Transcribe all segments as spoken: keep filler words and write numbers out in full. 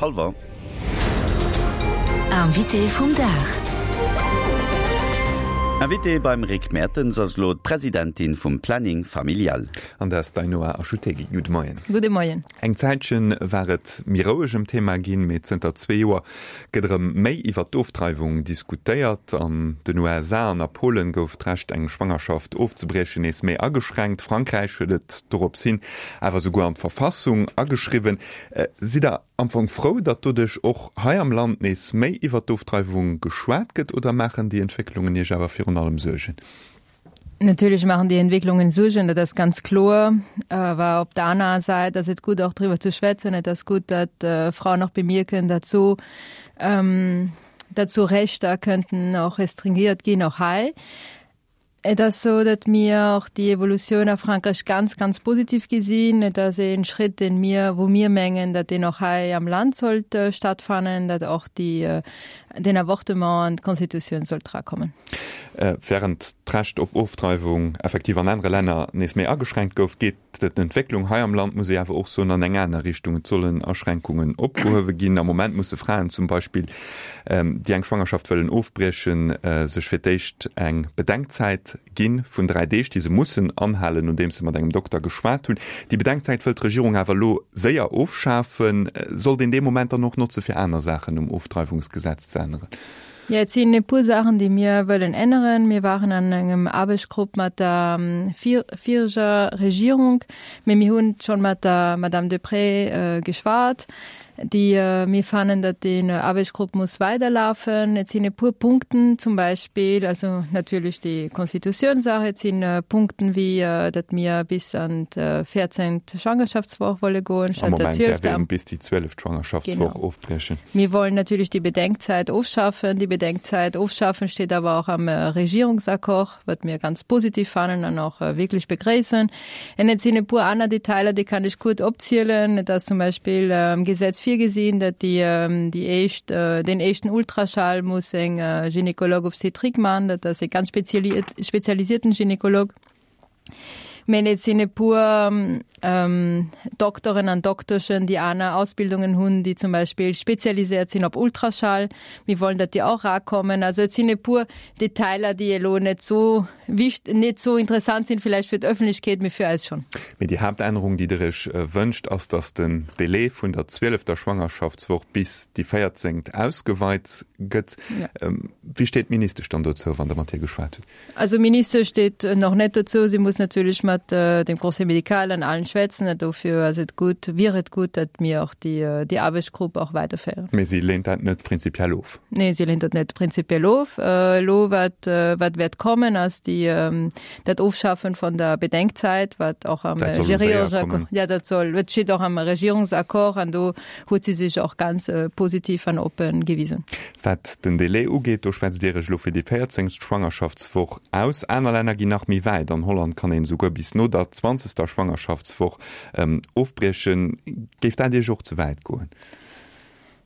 Hallwer. Invité vum Dag. Invité beim Rick Mertens ass elo d'Presidentin vum Planning Familial. An dat ass d'Ainhoa Achutegui. Gudde Moien. Gudde Moien. Eng Zäitche war et méi roueg ëm d'Thema ginn, mee zënter zwee Joer gëtt erëm méi iwwer d'Ofdreiwung diskutéiert. An den U S A an a Polen gouf d'Recht, eng Schwangerschaft ofzebriechen, nees méi ageschränkt. Frankräich huet et dorops hin awer souguer an d'Verfassung ageschriwwen. Sidd Der am Fong frou, datt doduerch och hei am Land nees méi iwwer d'Ofdreiwung geschwat gëtt, oder maachen déi Entwécklungen Iech awer virun allem Suergen? Natierlech maachen déi Entwécklungen Suergen, dat ass ganz kloer. Awer op der anerer Säit ass et gutt, och driwwer ze schwätzen. Et ass gutt, datt Fraen och bemierken, datt sou, datt sou Rechter kënnten och restringiert ginn, och hei. Et ass sou, datt mir och déi Evolutioun a Frankräich ganz, ganz positiv gesinn. Et ass e Schritt, dee mir, wou mir mengen, datt deen och hei am Land sollt stattfannen, datt och déi, den Avortement an d'Constitutioun sollt drakommen. Während d'Recht op Ofdreiwung effektiv an anere Länner nees méi ageschränkt gouf, geet d'Entwécklung hei am Land, muss ee awer och soen, an eng aner Richtung. Et sollen Aschränkungen opgehuewe ginn. Am Moment musse Fraen zum Beispill, déi eng Schwangerschaft wëllen ofbriechen, sech fir d'éischt eng Bedenkzäit gi vun dräi Deeg, déi se mussen anhalen, nodeems se mat engem Dokter geschwat hunn. Déi Bedenkzäit wëllt d'Regierung awer elo séier ofschafen. Sollt een dee Moment dann och notze fir aner Saachen um Ofdreiwungsgesetz ze änneren? Jo, et sinn e puer Saachen, déi mir wëllen änneren. Mir waren an engem Aarbechtsgrupp mat der vireger Regierung, mee mir hunn schonn mat der Madame Deprez geschwat. Déi mir fannen, datt deen Aarbechtsgrupp muss weiderlafen. Et sinn e puer Punkten, zum Beispill, also natierlech déi Constitutiounssaach, et sinn Punkten wéi datt mir bis an d'véierzéngt Schwangerschaftswoch wolle goen statt der zwielfter. Bis déi zwieleft Schwangerschaftswoch ofbriechen. Mir wollen natierlech déi Bedenkzäit ofschafen. Déi Bedenkzäit ofschafen steet awer och am Regierungsaccord, wat mir ganz positiv fannen an och wierklech begréissen. An et sinn e puer aner Detailer, déi kann ech kuerz opzielen. Et ass zum Beispill am Gesetz virgesinn, datt déi, déi éischt, den éischten Ultraschall muss eng Gynécologue-obstétrique man, dat ass e ganz spezialisierten Gynécologue. Mä et sinn e puer Dokteren an Dokteschen, déi aner Ausbildungen hunn, déi zum Beispill spezialiséiert sinn op Ultraschall. Mir wollen, datt déi och erakommen. Also et sinn e puer Detailer, déi elo net sou wicht-, net sou interessant sinn villäicht fir d'Ëffentlechkeet, mee fir eis schonn. Mee déi Haaptännerung, déi Der Iech wënscht, ass, datt den Delai vun der zwielefter Schwangerschaftswoch bis déi véierzéngt ausgeweit gëtt. Wéi steet d'Ministesch dann dozou, wann Der mat hir geschwat hutt? Also d'Ministesch steet nach net dozou. Si muss natierlech mat dem Conseil médical an allen schwätzen. Dofir ass et gutt, wier et gutt, datt mir och déi, déi Aarbechtsgrupp och weiderféieren. Mee si leent dat net prinzipiell of? Nee, si leent dat net prinzipiell of. Elo wat, wat wäert kommen, ass déi, dat Ofschaffen vun der Bedenkzäit, wat och am Dat soll elo séier kommen. Ja, dat soll, dat steet och am Regierungsaccord an do huet si sech och ganz positiv an oppen gewisen. Wat den Delai ugeet, do schwätzt Dir Iech elo fir déi véierzéngst Schwangerschaftswoch aus. Aner Länner ginn nach méi wäit. An Holland kann een esouguer bis no der zwanzegster Schwangerschaftswoch ofbriechen. Géif dat Iech och ze wäit goen?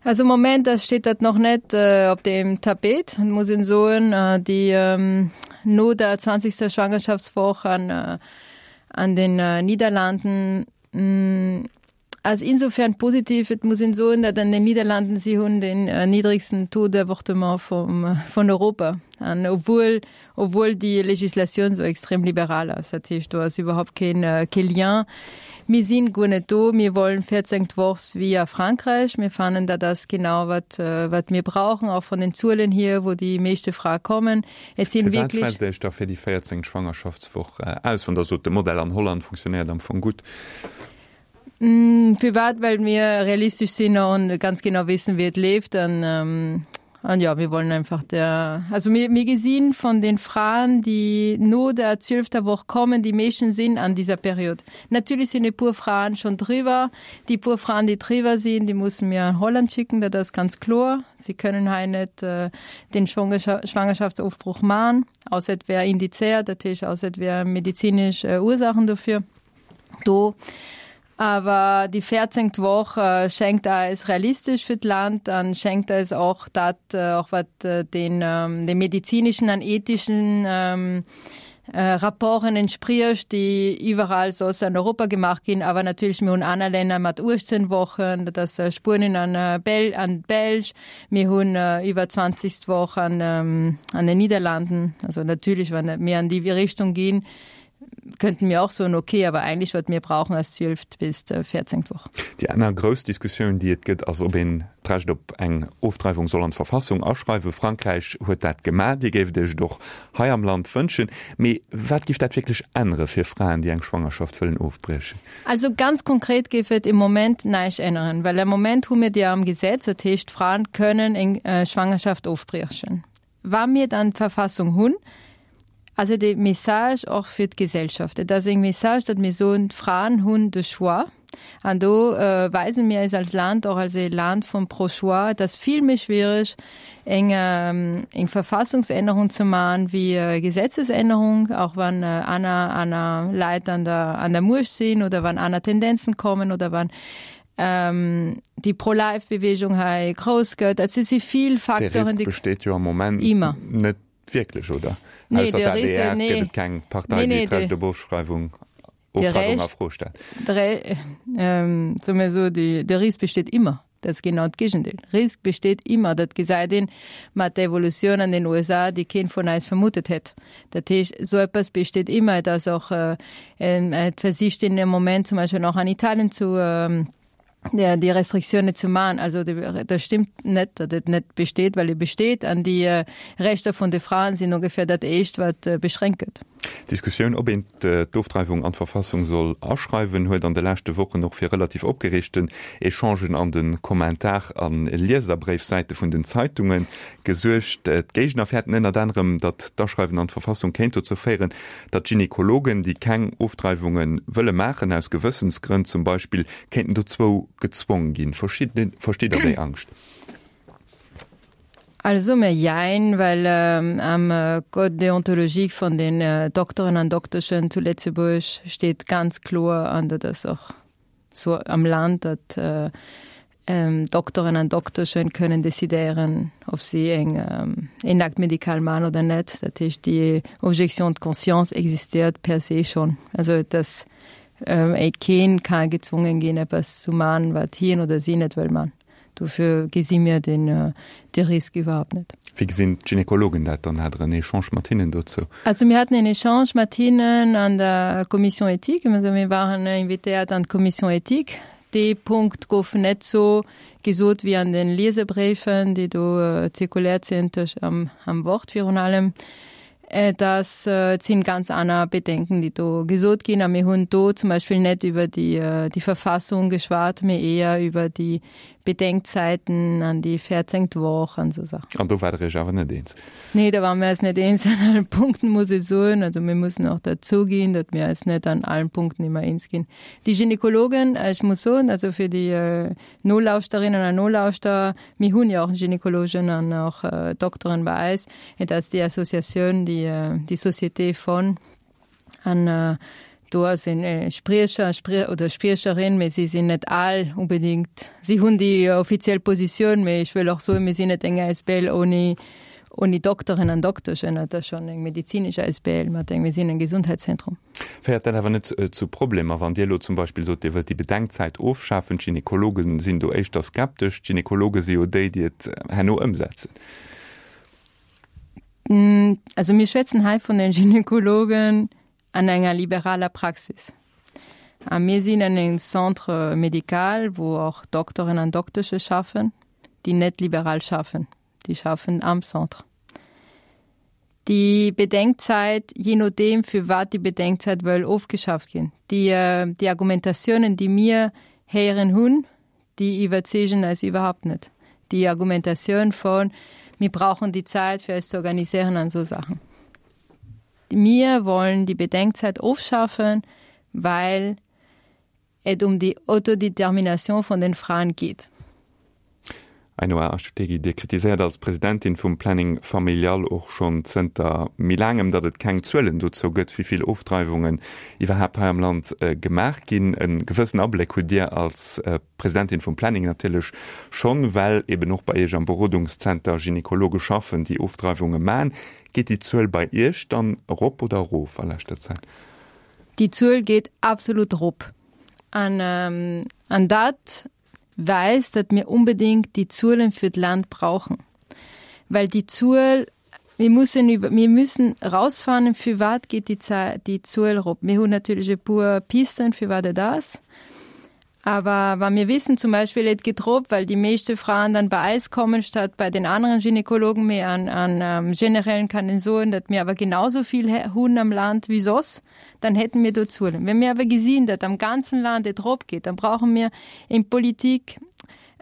Also am Moment steet dat nach net op dem Tapet, muss een soen. Déi no der zwanzegster Schwangerschaftswoch an an den Niederlanden ass insofern positiv, et muss een soen, datt an den Niederlanden, si hunn den niddregsten Taux d'avortement vum vun Europa. An obwuel obwuel déi Legislatioun sou extrem liberal ass, dat heescht do ass iwwerhaupt keen kee Lien. Mir sinn guer net do, mir wollen véierzéngt Woch wéi a Frankräich. Mir fannen, dat ass genau wat wat mir brauchen, och vun den Zuelen hier, wou déi meeschte Frae kommen. Et sinn Firwat wierklech. schwätzt Dir Iech da fir déi véierzéngt Schwangerschaftswoch aus, wann Der sot, de Modell an Holland funktionéiert am Fong gutt? Firwat? Well mir realistesch sinn an ganz genau wissen, wéi et leeft. An, an ja, mir wollen einfach der, also mir, mir gesinn von den Fraen, déi no der zwielfter Woch kommen, déi meeschten sinn an dieser Period. Natierlech sinn e puer Fraen schonn driwwer. Déi puer Fraen, déi driwwer sinn, déi musse mir an Holland schicken, dat ass ganz kloer. Si kënnen hei net den Schwangerschaftsofbruch man, ausser et wär indizéiert, dat heescht ausser et wär medizinesch Ursachen dofir do. Awer déi véierzéngt Woch schéngt eis realistesch fir d'Land an schéngt eis och dat, och wat den, den medizinischen an ethischen Rapporten entspricht, déi iwwerall soss an Europa gemaach ginn. Awer natierlech mir hunn aner Länner mat uechtzéng Wochen, dat ass Spuenien an Bel an d'Belsch. Mir hunn iwwer zwanzeg Woch an an den Niederlanden. Also natierlech, wann mir an déi Richtung ginn, könnten mir och soen, okay, awer eigentlech wat mir brauchen ass zwielf bis véierzéngt Woch. Déi aner grouss Diskussioun, déi et gëtt, ass, ob een d'Recht op eng Ofdreiwung soll an d'Verfassung aschreiwen. Frankräich huet dat gemaach. Dir géift Iech et och hei am Land wënschen. Mee wat géif dat wierklech ännere fir Fraen, déi eng Schwangerschaft wëllen ofbriechen? Also ganz konkret géif et im Moment näischt änneren, well am Moment hu mir déi am Gesetz, dat heescht, Fraen kënnen eng Schwangerschaft ofbriechen. Wa mir dann d'Verfassung hunn, ass et e Message och fir d'Gesellschaft. Et ass eng Message, datt mir soen, d'Fraen hunn de Choix. An do weise mir eis als Land och als e Land vum Pro-Choix. Et ass vill méi schwiereg, eng, eng Verfassungsännerung ze maachen wéi e Gesetzesännerung, och wann aner, aner Leit an der, an der Muecht sinn oder wann aner Tendenzen kommen oder wann déi Pro-Life-Bewegung hei grouss gëtt. Also et si vill Facteuren, déi. De Risk besteet jo am Moment Immer. net wierklech, oder? Nee, Ausser de der Risk, A D R nee. gëtt et keng Partei, Nee, déi nee, d'Recht de, op Ofschreiwung, de Ofdreiwung a Recht, Fro stellt. de Re, ähm, soe mir esou, déi, de Risk besteet immer. Dat ass genau d'Gegendeel. Risk besteet immer. Dat gesäit een mat der Evolutioun an den U S A, déi keen vun eis vermutet hätt. Dat heescht, esou eppes besteet immer. Et ass och, äh, et versicht een am Moment zum Beispill och an Italien zu, ähm, der, déi Restriktioune ze maachen. Also de, dat stimmt net, datt et net besteet, well e besteet an déi äh, Rechter vun de Fraen sinn ongeféier dat éischt, wat äh, beschränkt gëtt. D'Diskussioun, ob een d'Ofdreiwung an d'Verfassung soll aschreiwen, huet an de leschte Wochen och fir relativ opgereegten Echangen an de Kommentar a Lieserbréifsäite vun den Zeitunge gesuergt. D'Géigner fäerten ënnert anerem, datt d'Aschreiwen an d'Verfassung kéint dozou féieren, datt Gynekologen, déi keng Ofdreiwunge wëlle maachen, aus Gewëssensgrënn zum Beispill, kéinten dozou gezwong ginn. Versteet Der déi Angscht? Also mir jein, well ähm, am äh, Code déontologique vun den äh, Dokteren an Dokteschen zu Lëtzebuerg steet ganz kloer, an dat ass och sou am Land, datt äh, ähm, Dokteren an Dokteschen kënnen decidéieren, ob si eng, ähm, en Acte médical man oder net. Dat heescht, déi Objection de conscience existéiert per se schonn. Also dass ähm, keen ka gezwongen ginn, eppes zu man, wat hien oder si net wëll man. Dofir gesi mir den, äh, de Risk iwwerhaapt net. Wéi gesinn d'Gynekologen dat dann? Hat Der en Echange mat hinnen dozou? Also mir haten en Echange mat hinnen an der Commission éthique. Also mir waren invitéiert an d'Commission éthique. Dee Punkt gouf net sou gesot wéi an den Lieserbréifen, déi do äh, zirkuléiert sinn, am, am Wort virun allem. Äh, das äh, sinn ganz aner Bedenken, déi do gesot ginn. A mir hunn do zum Beispill net iwwer déi, äh, déi Verfassung geschwat, mee éier iwwer déi Bedenkzeiten an déi véierzéngt Woch an sou Saachen. An do waart der iech awer net eens? Nee, da ware mir eis net eens an allen Punkten, muss ech soen. Also mir mussen och dozou ginn, datt mir eis net an allen Punkten ëmmer eens ginn. Déi Gynekologen, ech muss soen, also fir déi äh, Nolauschterinnen an Nolauschterer, mir hunn jo och Gynekologen an och äh, Dokteren bei eis. Et ass déi Associatioun, déi, äh, déi Société von an äh, do ass en äh, Spriecher Sprie oder Spriecherin, mee si sinn net all unbedingt. Si hunn déi offiziell Positioun, mee ech wëll och soen, mir sinn net eng A S B L ouni ouni Dokteren an Dokteschen, dat ass schonn eng medizinesch A S B L mat engem, mir sinn en Gesundheitszentrum. Féiert dat awer net zu Problemer, wann Dir elo zum Beispill sot, Dir wëllt déi Bedenkzäit ofschafen? D'Gynekologe sinn do éischter skeptesch. D'Gynekologe si jo déi, déi et herno ëmsetzen. Also mir schwätzen hei vun den Gynekologen an enger liberaler Praxis. A mir sinn an engem Centre médical, wou och Dokteren an Doktesche schaffen, déi net liberal schaffen. Déi schaffen am Centre. Déi Bedenkzäit, je nodeem fir wat déi Bedenkzäit wëll ofgeschaaft ginn. Déi, déi Argumentatiounen, déi mir héieren hunn, déi iwwerzeegen eis iwwerhaapt net. Déi Argumentatioun von mir brauchen die Zeit fir eis ze organiséieren an esou Saachen. Mir wollen die Bedenkzeit ofschaffen, weil et um die Autodetermination von den Frauen geht. Ainhoa Achutegui, Dir kritiséiert als Presidentin vum Planning Familial och schonn zënter méi laangem, datt et keng Zuelen dozou gëtt, wéi vill Ofdreiwungen iwwerhaapt hei am Land gemaach ginn. E gewëssen Abléck hutt Dir als Presidentin vum Planning natierlech schonn, well eben och bei Iech am Berodungszenter Gynekologe schaffen, déi Ofdreiwunge maachen. Geet déi Zuel bei Iech dann erop oder erof a leschter Zäit? Déi Zuel geet absolut erop. An, an dat weist, datt mir unbedingt déi Zuelen fir d'Land brauchen. Well déi Zuel, mir mussen iwwer, mir müssen erausfannen, firwat geet déi Zä, déi Zuel erop. Mir hunn natierlech e puer Pisten, firwat et ass. Awer wa mir wissen zum Beispill, et geet erop, well déi meeschte Fraen dann bei eis kommen statt bei den aneren Gynekologen. Mee an, an generellen kann een soen, datt mir awer genauso vill hunn am Land wéi soss, dann hätten mir do Zuelen. Wenn mir awer gesinn, datt am ganzen Land et erop geet, dann brauche mir eng Politik,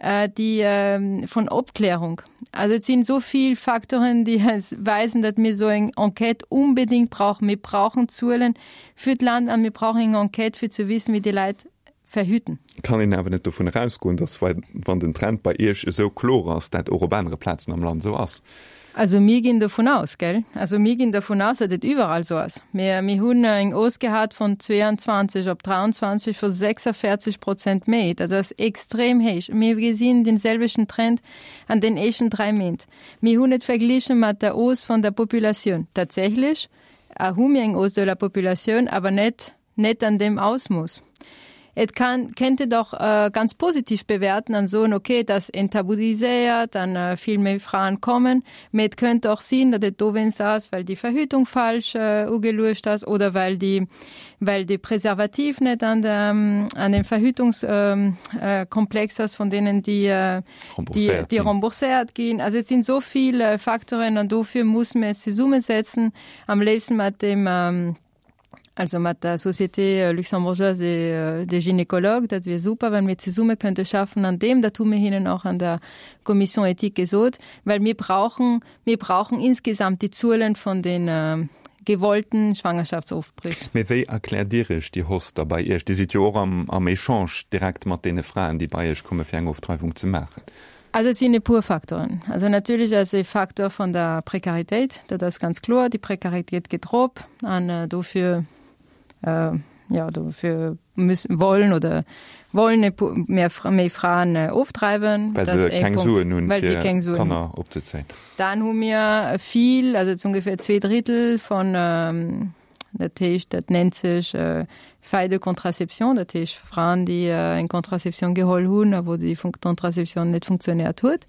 déi vun Opklärung. Also et sinn esou vill Facteuren, déi eis weisen, datt mir esou eng Enquête unbedingt brauchen. Mir brauchen Zuelen fir d'Land an mir brauchen eng Enquête fir ze wissen, wéi déi Leit verhüten. Kann een awer net dovun erausgoen, datt wann den Trend bei Iech esou kloer ass, dat och op anere Plazen am Land esou ass? Also mir ginn dovun aus, gell? Also mir ginn dovun aus, datt et iwwerall esou ass. Mir, mir hunn eng Hausse gehat vun zweiundzwanzeg op dräiandzwanzeg vu sechsundvierzeg Prozent méi. Dat ass extrem héich. Mir gesinn den selwechten Trend an den éischten dräi Méint. Mir hunn et verglichen mat der Hausse vun der Populatioun. Tatsächlech hu mir eng Hausse de la Populatioun, awer net, net an deem Ausmooss. Et kann, kennt et och äh, ganz positiv bewerten an soen, okay, dat enttabuiséiert, dann äh, vill méi Fraen kommen. Mee et kënnt och sinn, datt et dowéinst ass, well déi Verhütung falsch äh, ugeluecht ass oder well déi, well de Präservativ net an der, an dem Verhütungskomplex ähm, äh, ass vun deenen, déi, äh, déi, déi rembourséiert ginn. Also et sinn esou vill äh, Facteuren an dofir musse mir eis zesummesetzen, am léifsten mat dem ähm, also mat der Société luxembourgeoise des, des Gynécologues, dat wier super, wann mir zesumme könnte schaffen an deem, dat hu mir hinnen och an der Commission éthique gesot, well mir brauchen, mir brauchen insgesamt déi Zuelen vun den äh, gewollten Schwangerschaftsofbrich. Mee wéi erkläert Dir Iech déi Hausse da bei Iech? Dir sidd jo och am, am Echange direkt mat deene Fraen, déi bei Iech komme fir eng Ofdreiwung ze maachen. Also et sinn e puer Faktoren. Also natierlech ass e Faktor vun der Prekaritéit, dat ass ganz kloer, déi Prekaritéit geet erop an dofir, jo, dofir müssen, wollen oder wollen e puer méi, méi Fraen ofdreiwen. Well se keng Suen hunn, fir Kanner opzezéien. Dann hu mir vill, also et ongeféier zwee Drittel von Dat heescht, dat nennt sech Faille de contraception, dat heescht Fraen, déi eng Contraception geholl hunn a wou déi Contraception net funktionéiert huet.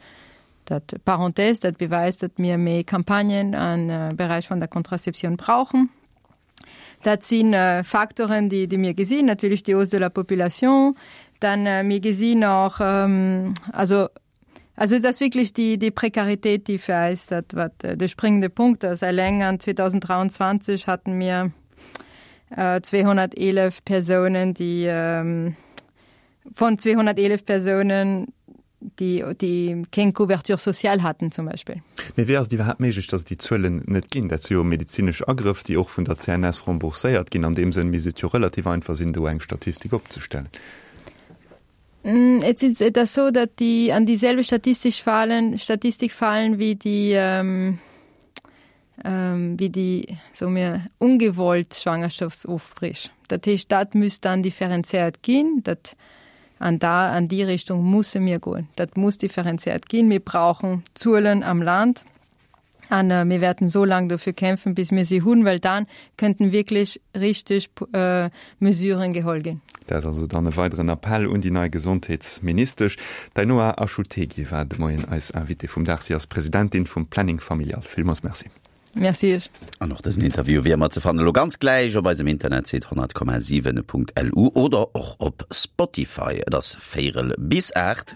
Dat, Parenthèse, dat beweist, datt mir méi Campagnen am Beräich vun der Contraception brauchen. Dat si Facteuren, déi, déi mir gesinn, natierlech déi Hausse de la population. Dann mir gesinn och, also Also et ass wierklech déi, déi Prekaritéit, déi fir eis dat, wat de springende Punkt ass. Eleng an zweedausenddräiandzwanzeg haten mir zweehonnerteelef Persounen, déi, von zweehonnerteelef Persounen, déi, déi keng Couverture sociale haten zum Beispill. Mee wéi ass et iwwerhaapt méiglech, datt et déi Zuelen net ginn? Dat si jo medezinesch Agrëff, déi och vun der C N S rembourséiert ginn. An deem Sënn misst et jo relativ einfach sinn, do eng Statistik opzestellen. Et sinn, et ass sou, datt déi an déi selwecht Statistik falen, Statistik falen wéi déi, ähm, ähm, wéi déi, soe mir, ungewollt Schwangerschaftsofbrich. Dat heescht, dat müsst dann differenziert ginn, dat an da an déi Richtung musse mir goen. Dat muss differenziert ginn. Mir brauchen Zuelen am Land. An äh, mir werden so lange dafür kämpfen, bis mir sie hunn, well dann könnten wirklich richtig äh, Mesuren geholl ginn. Dat ass also dann e weideren Appell un déi nei Gesondheetsministesch. D'Ainhoa Achutegui war de Moien eis Invitée vum Dag. Si ass Presidentin vum Planning Familial. Villmools Merci. Merci iech. An och dësen Interview wéi ëmmer ze fannen elo ganz gläich op eisem Internetsite honnert Komma siwen Punkt L U oder och op Spotify. Et ass véierel bis aacht.